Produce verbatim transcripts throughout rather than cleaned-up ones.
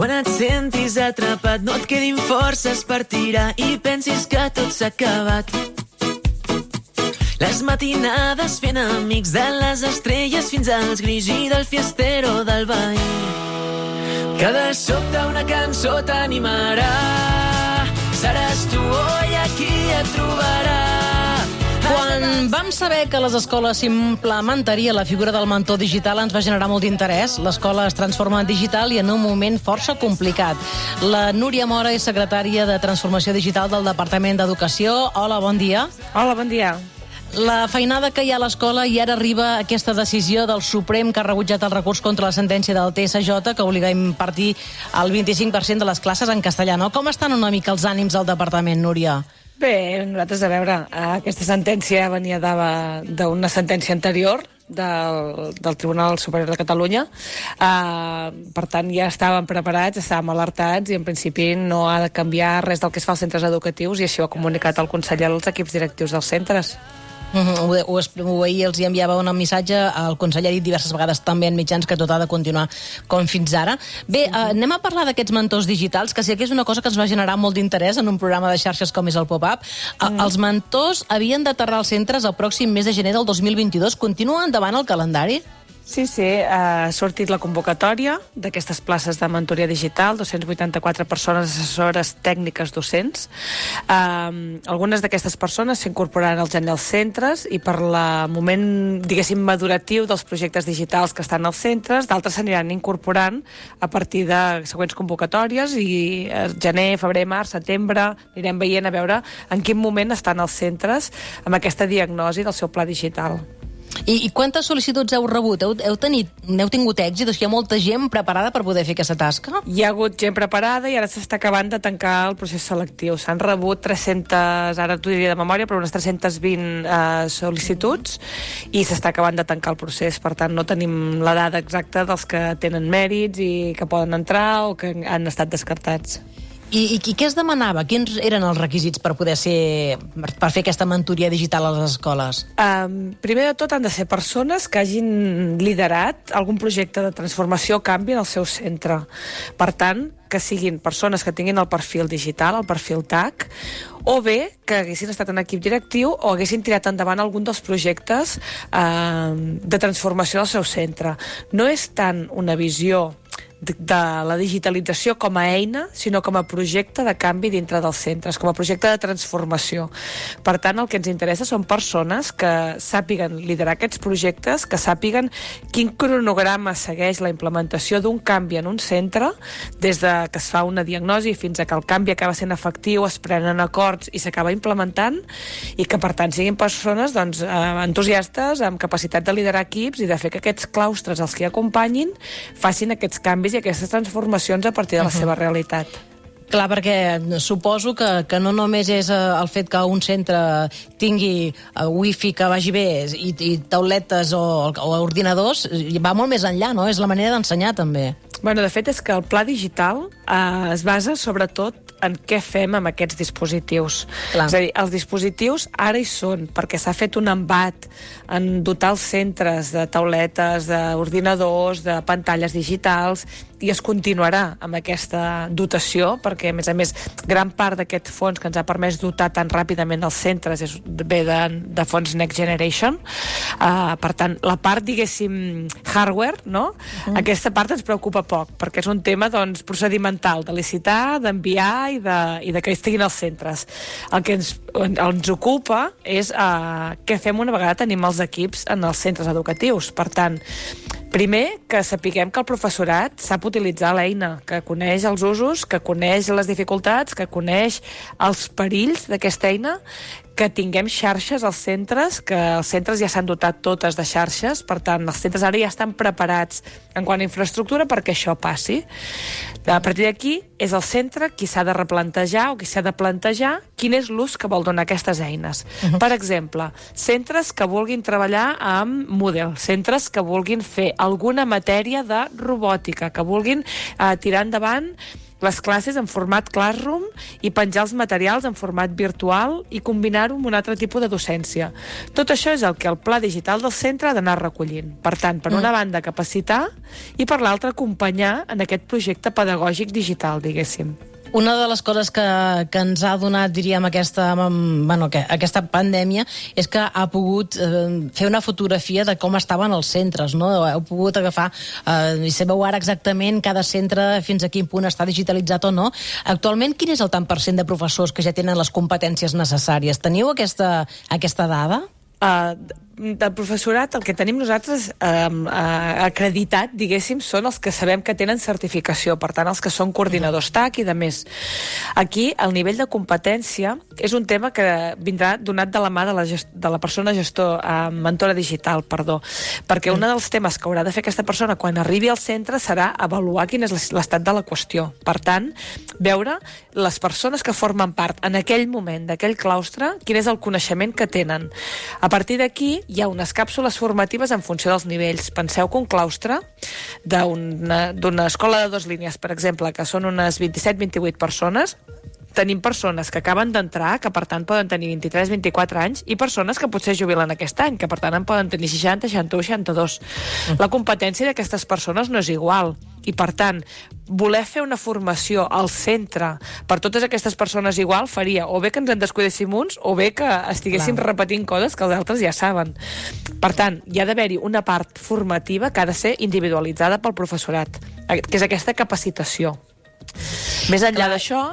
Quan et sentis atrapat, no et quedin forces per tirar i pensis que tot s'ha acabat. Les matinades fent amics, de les estrelles fins als grills i del fiestero del veí. Que de sobte una cançó t'animarà, seràs tu oi qui et trobarà. Quan vam saber que a les escoles s'implementaria la figura del mentor digital ens va generar molt d'interès. L'escola es transforma en digital i en un moment força complicat. La Núria Mora és secretària de Transformació Digital del Departament d'Educació. Hola, bon dia. Hola, bon dia. La feinada que hi ha a l'escola i ara arriba aquesta decisió del Suprem que ha rebutjat el recurs contra la sentència del T S J que obliga a impartir el vint-i-cinc per cent de les classes en castellà. No? Com estan una mica els ànims del departament, Núria? Bé, nosaltres, a veure, aquesta sentència venia d'una sentència anterior del, del Tribunal Superior de Catalunya. Uh, per tant, ja estàvem preparats, estàvem alertats i en principi no ha de canviar res del que es fa als centres educatius i així ho ha comunicat el conseller als equips directius dels centres. Uh-huh. Ho, ho, ahir els hi enviava un missatge, el conseller ha dit diverses vegades també en mitjans que tot ha de continuar com fins ara. Bé, uh, anem a parlar d'aquests mentors digitals, que sí que és una cosa que ens va generar molt d'interès en un programa de xarxes com és el Pop-Up. Uh, mm. Els mentors havien d'aterrar als centres el pròxim mes de gener del dos mil vint-i-dos. Continua endavant el calendari? Sí, sí, ha sortit la convocatòria d'aquestes places de mentoria digital, dos-cents vuitanta-quatre persones assessores tècniques docents. Um, algunes d'aquestes persones s'incorporaran al gener als centres i per el moment, diguéssim, maduratiu dels projectes digitals que estan als centres, d'altres s'aniran incorporant a partir de següents convocatòries i gener, febrer, març, setembre, anirem veient a veure en quin moment estan els centres amb aquesta diagnosi del seu pla digital. I, i quantes sol·licituds heu rebut? Heu, heu, tenit, heu tingut èxit? O sigui, hi ha molta gent preparada per poder fer aquesta tasca? Hi ha hagut gent preparada i ara s'està acabant de tancar el procés selectiu. S'han rebut tres-centes, ara t'ho diria de memòria, però unes tres-centes vint eh, sol·licituds i s'està acabant de tancar el procés. Per tant, no tenim la dada exacta dels que tenen mèrits i que poden entrar o que han estat descartats. I, i, I què es demanava? Quins eren els requisits per poder ser, per fer aquesta mentoria digital a les escoles? Um, primer de tot han de ser persones que hagin liderat algun projecte de transformació o canvi en el seu centre. Per tant, que siguin persones que tinguin el perfil digital, el perfil T A C, o bé que haguessin estat en equip directiu o haguessin tirat endavant algun dels projectes eh, de transformació del seu centre. No és tant una visió de, de la digitalització com a eina, sinó com a projecte de canvi dintre dels centres, com a projecte de transformació. Per tant, el que ens interessa són persones que sàpiguen liderar aquests projectes, que sàpiguen quin cronograma segueix la implementació d'un canvi en un centre, des de que es fa una diagnosi fins a que el canvi acaba sent efectiu, es prenen acords i s'acaba implementant, i que per tant siguin persones doncs, entusiastes, amb capacitat de liderar equips i de fer que aquests claustres, els que acompanyin, facin aquests canvis i aquestes transformacions a partir de la uh-huh. seva realitat. Clar, perquè suposo que, que no només és el fet que un centre tingui wifi que vagi bé i, i tauletes o, o ordinadors, va molt més enllà, no? És la manera d'ensenyar, també. Bueno, de fet, és que el pla digital eh, es basa sobretot en què fem amb aquests dispositius. Clar. És a dir, els dispositius ara hi són, perquè s'ha fet un embat en dotar els centres de tauletes, d'ordinadors, de pantalles digitals, i es continuarà amb aquesta dotació, perquè, a més a més, gran part d'aquest fons que ens ha permès dotar tan ràpidament els centres és, ve de, de fons Next Generation. Uh, per tant, la part, diguéssim, hardware, no? Uh-huh. Aquesta part ens preocupa poc, perquè és un tema doncs, procedimental, de licitar, d'enviar i de, i de que estiguin als centres. El que ens, ens ocupa és uh, què fem una vegada tenim els equips en els centres educatius. Per tant, primer, que sapiguem que el professorat sap utilitzar l'eina, que coneix els usos, que coneix les dificultats, que coneix els perills d'aquesta eina, que tinguem xarxes als centres, que els centres ja s'han dotat totes de xarxes, per tant, els centres ara ja estan preparats en quant a infraestructura perquè això passi. A partir d'aquí, és el centre qui s'ha de replantejar o qui s'ha de plantejar quin és l'ús que vol donar aquestes eines. Uh-huh. Per exemple, centres que vulguin treballar amb Moodle, centres que vulguin fer alguna matèria de robòtica, que vulguin eh, tirar endavant les classes en format Classroom i penjar els materials en format virtual i combinar-ho amb un altre tipus de docència. Tot això és el que el pla digital del centre ha d'anar recollint. Per tant, per una banda, capacitar i per l'altra, acompanyar en aquest projecte pedagògic digital, diguéssim. Una de les coses que, que ens ha donat, diríem, aquesta, bueno, que, aquesta pandèmia és que ha pogut eh, fer una fotografia de com estaven els centres, no? Heu pogut agafar, eh, i sabeu ara exactament cada centre fins a quin punt està digitalitzat o no. Actualment, quin és el tant per cent de professors que ja tenen les competències necessàries? Teniu aquesta, aquesta dada? Uh, del professorat, el que tenim nosaltres eh, eh, acreditat, diguéssim, són els que sabem que tenen certificació, per tant, els que són coordinadors T A C i de més. Aquí, el nivell de competència és un tema que vindrà donat de la mà de la, gest de la persona gestor, eh, mentora digital, perdó, perquè un dels temes que haurà de fer aquesta persona quan arribi al centre serà avaluar quin és l'estat de la qüestió. Per tant, veure les persones que formen part en aquell moment d'aquell claustre, quin és el coneixement que tenen. A partir d'aquí, hi ha unes càpsules formatives en funció dels nivells. Penseu que un claustre d'una escola de dues línies, per exemple, que són unes vint-i-set vint-i-vuit persones, tenim persones que acaben d'entrar, que per tant poden tenir vint-i-tres vint-i-quatre anys, i persones que potser jubilen aquest any, que per tant en poden tenir seixanta, seixanta-u, seixanta-dos. La competència d'aquestes persones no és igual. I, per tant, voler fer una formació al centre per totes aquestes persones igual faria o bé que ens en descuidéssim uns o bé que estiguéssim Clar. repetint coses que els altres ja saben. Per tant, hi ha d'haver-hi una part formativa que ha de ser individualitzada pel professorat, que és aquesta capacitació. Més enllà d'això...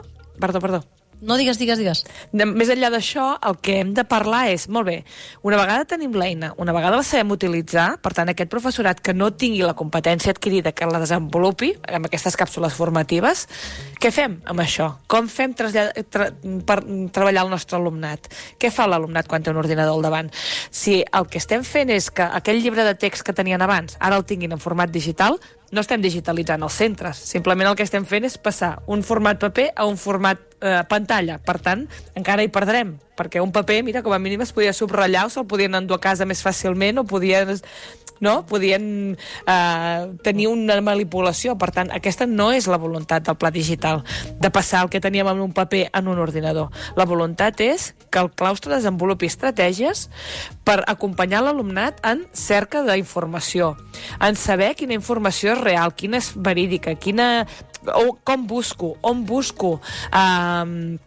Perdó, perdó. No, digues, digues, digues. De, més enllà d'això, el que hem de parlar és, molt bé, una vegada tenim l'eina, una vegada la sabem utilitzar, per tant, aquest professorat que no tingui la competència adquirida, que la desenvolupi amb aquestes càpsules formatives, què fem amb això? Com fem tra tra per treballar el nostre alumnat? Què fa l'alumnat quan té un ordinador al davant? Si el que estem fent és que aquell llibre de text que tenien abans, ara el tinguin en format digital, no estem digitalitzant els centres, simplement el que estem fent és passar un format paper a un format eh, pantalla. Per tant, encara hi perdrem, perquè un paper, mira, com a mínim es podia subratllar o se'l podien endur a casa més fàcilment o podien, no? podien eh, tenir una manipulació. Per tant, aquesta no és la voluntat del pla digital, de passar el que teníem en un paper en un ordinador. La voluntat és que el claustre desenvolupi estratègies per acompanyar l'alumnat en cerca d'informació, en saber quina informació és real, quina és verídica, quina, o com busco, on busco, eh,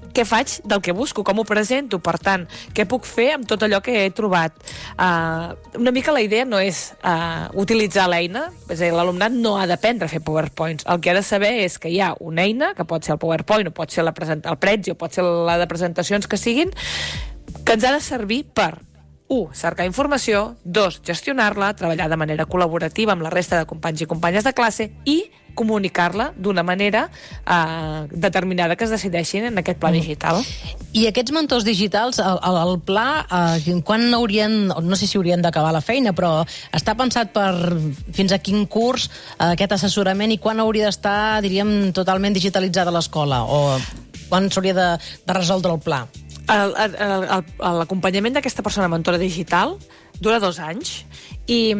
què faig del que busco, com ho presento, per tant, què puc fer amb tot allò que he trobat. Uh, una mica la idea no és uh, utilitzar l'eina, és a dir, l'alumnat no ha d'aprendre a fer PowerPoints, el que ha de saber és que hi ha una eina, que pot ser el PowerPoint, o pot ser la el Prezi, o pot ser la de presentacions que siguin, que ens ha de servir per un, cercar informació, dos, gestionar-la, treballar de manera col·laborativa amb la resta de companys i companyes de classe i comunicar-la d'una manera eh, determinada que es decideixin en aquest pla digital. I aquests mentors digitals, el, el, el pla, eh, quan haurien, no sé si haurien d'acabar la feina, però està pensat per fins a quin curs eh, aquest assessorament i quan hauria d'estar, diríem, totalment digitalitzada l'escola? O quan s'hauria de, de resoldre el pla? L'acompanyament d'aquesta persona mentora digital dura dos anys i,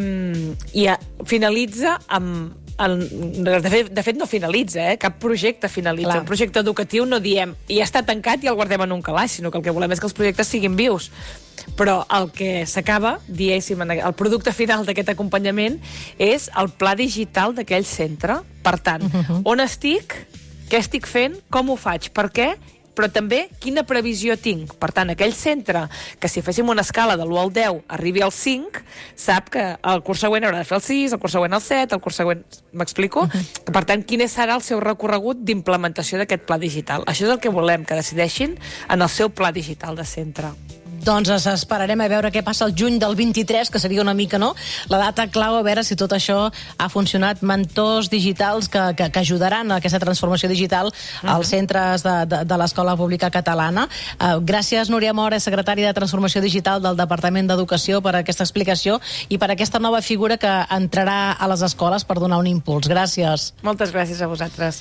i finalitza amb El, de, fet, de fet no finalitza, eh? Cap projecte finalitza. Clar. Un projecte educatiu no diem i ja està tancat i el guardem en un calaix, sinó que el que volem és que els projectes siguin vius. Però el que s'acaba, diguéssim, el producte final d'aquest acompanyament és el pla digital d'aquell centre. Per tant, uh-huh. on estic, què estic fent, com ho faig, per què, però també quina previsió tinc. Per tant, aquell centre que si féssim una escala de l'u al deu arribi al cinc, sap que el curs següent haurà de fer el sis, el curs següent el set, el curs següent... M'explico? Uh-huh. Per tant, quin serà el seu recorregut d'implementació d'aquest pla digital? Això és el que volem que decideixin en el seu pla digital de centre. Doncs esperarem a veure què passa el juny del vint-i-tres, que seria una mica, no?, la data clau, a veure si tot això ha funcionat. Mentors digitals que, que, que ajudaran a aquesta transformació digital uh-huh. als centres de, de, de l'Escola Pública Catalana. Uh, gràcies, Núria Mora, secretària de Transformació Digital del Departament d'Educació, per aquesta explicació i per aquesta nova figura que entrarà a les escoles per donar un impuls. Gràcies. Moltes gràcies a vosaltres.